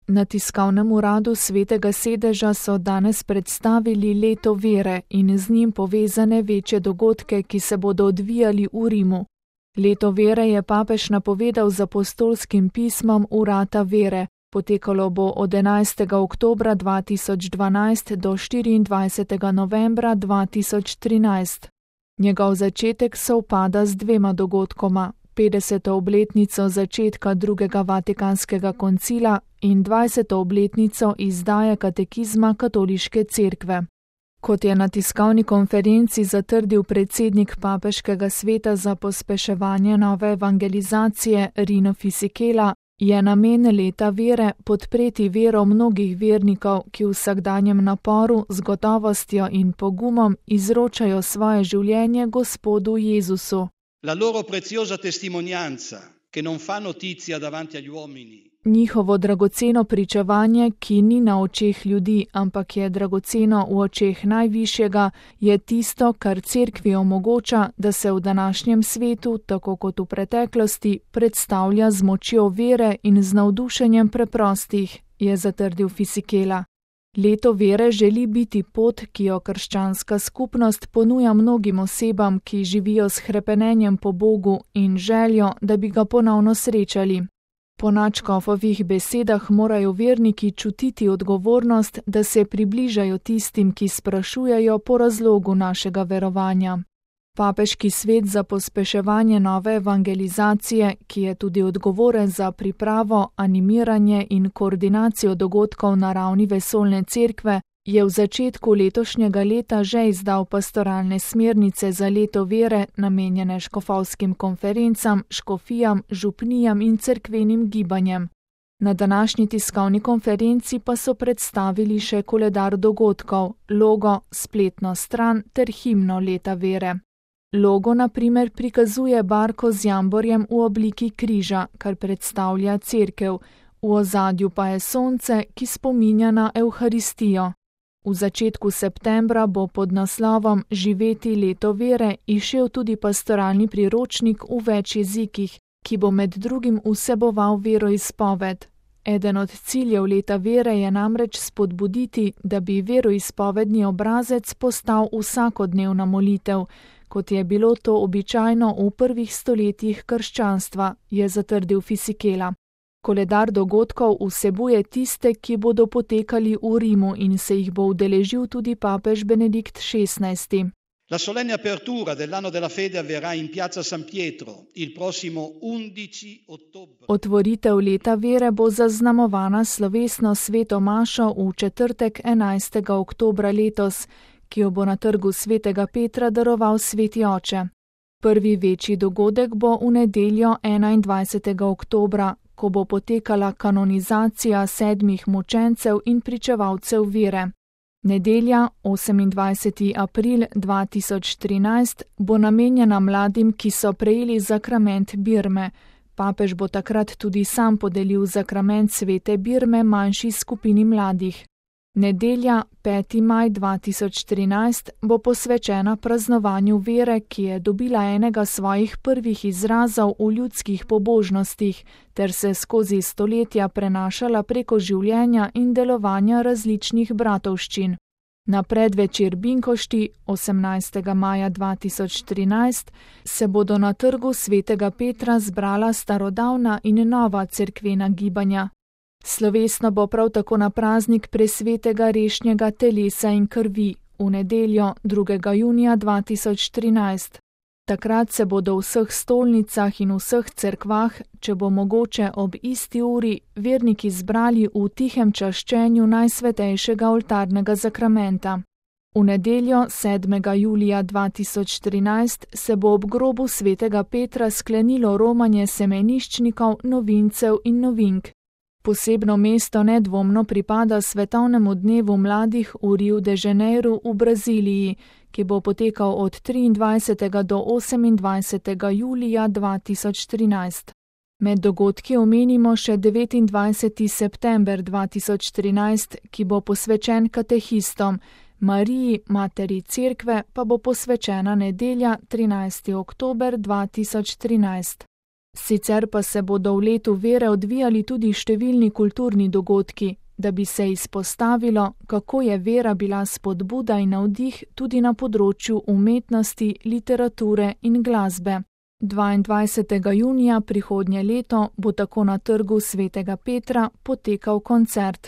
Na tiskovnem uradu Svetega sedeža so danes predstavili leto vere in z njim povezane večje dogodke, ki se bodo odvijali v Rimu. Leto vere je papež napovedal z apostolskim pismom Vrata vere. Potekalo bo od 11. oktobra 2012 do 24. novembra 2013. Njegov začetek sovpada z dvema dogodkoma, 50. obletnico začetka drugega Vatikanskega koncila in 20. obletnico izdaje katekizma Katoliške cerkve. Kot je na tiskovni konferenci zatrdil predsednik Papeškega sveta za pospeševanje nove evangelizacije Rino Fisichella, je namen leta vere podpreti vero mnogih vernikov, ki v vsakdanjem naporu z gotovostjo in pogumom izročajo svoje življenje Gospodu Jezusu. La loro preziosa testimonianza, che non fa notizia davanti agli uomini. Njihovo dragoceno pričevanje, ki ni na očeh ljudi, ampak je dragoceno v očeh najvišjega, je tisto, kar cerkvi omogoča, da se v današnjem svetu, tako kot v preteklosti, predstavlja z močjo vere in z navdušenjem preprostih, je zatrdil Fisichella. Leto vere želi biti pot, ki jo krščanska skupnost ponuja mnogim osebam, ki živijo s hrepenenjem po Bogu in željo, da bi ga ponovno srečali. Po nadškofovih besedah morajo verniki čutiti odgovornost, da se približajo tistim, ki sprašujejo po razlogu našega verovanja. Papeški svet za pospeševanje nove evangelizacije, ki je tudi odgovoren za pripravo, animiranje in koordinacijo dogodkov na ravni vesoljne cerkve, je v začetku letošnjega leta že izdal pastoralne smernice za leto vere, namenjene škofovskim konferencam, škofijam, župnijam in cerkvenim gibanjem. Na današnji tiskovni konferenci pa so predstavili še koledar dogodkov, logo, spletno stran ter himno leta vere. Logo na primer prikazuje barko z jamborjem v obliki križa, kar predstavlja cerkev, v ozadju pa je sonce, ki spominja na Evharistijo. V začetku septembra bo pod naslovom Živeti leto vere izšel tudi pastoralni priročnik v več jezikih, ki bo med drugim vseboval veroizpoved. Eden od ciljev leta vere je namreč spodbuditi, da bi veroizpovedni obrazec postal vsakodnevna molitev, kot je bilo to običajno v prvih stoletjih krščanstva, je zatrdil Fisichella. Koledar dogodkov vsebuje tiste, ki bodo potekali v Rimu in se jih bo udeležil tudi papež Benedikt XVI. La solenne apertura dell'anno della fede avverrà in Piazza San Pietro il prossimo 11 ottobre. Otvoritev leta vere bo zaznamovana slovesno sveto mašo v četrtek 11. oktobra letos, ki jo bo na trgu Svetega Petra daroval Sveti Oče. Prvi večji dogodek bo v nedeljo 21. oktobra, ko bo potekala kanonizacija 7 mučencev in pričevalcev vere. Nedelja, 28. april 2013, bo namenjena mladim, ki so prejeli zakrament birme. Papež bo takrat tudi sam podelil zakrament svete birme manjši skupini mladih. Nedelja, 5. maj 2013, bo posvečena praznovanju vere, ki je dobila enega svojih prvih izrazov v ljudskih pobožnostih, ter se skozi stoletja prenašala preko življenja in delovanja različnih bratovščin. Na predvečer Binkošti, 18. maja 2013, se bodo na trgu Svetega Petra zbrala starodavna in nova cerkvena gibanja. Slovesno bo prav tako na praznik presvetega rešnjega telesa in krvi v nedeljo 2. junija 2013. Takrat se bodo v vseh stolnicah in vseh cerkvah, če bo mogoče ob isti uri, verniki zbrali v tihem čaščenju najsvetejšega oltarnega zakramenta. V nedeljo 7. julija 2013 se bo ob grobu Svetega Petra sklenilo romanje semeniščnikov, novincev in novink. Posebno mesto nedvomno pripada Svetovnemu dnevu mladih v Rio de Janeiro v Braziliji, ki bo potekal od 23. do 28. julija 2013. Med dogodki omenimo še 29. september 2013, ki bo posvečen katehistom, Mariji, materi cerkve, pa bo posvečena nedelja 13. oktober 2013. Sicer pa se bodo v letu vere odvijali tudi številni kulturni dogodki, da bi se izpostavilo, kako je vera bila spodbuda in navdih tudi na področju umetnosti, literature in glasbe. 22. junija prihodnje leto bo tako na Trgu svetega Petra potekal koncert.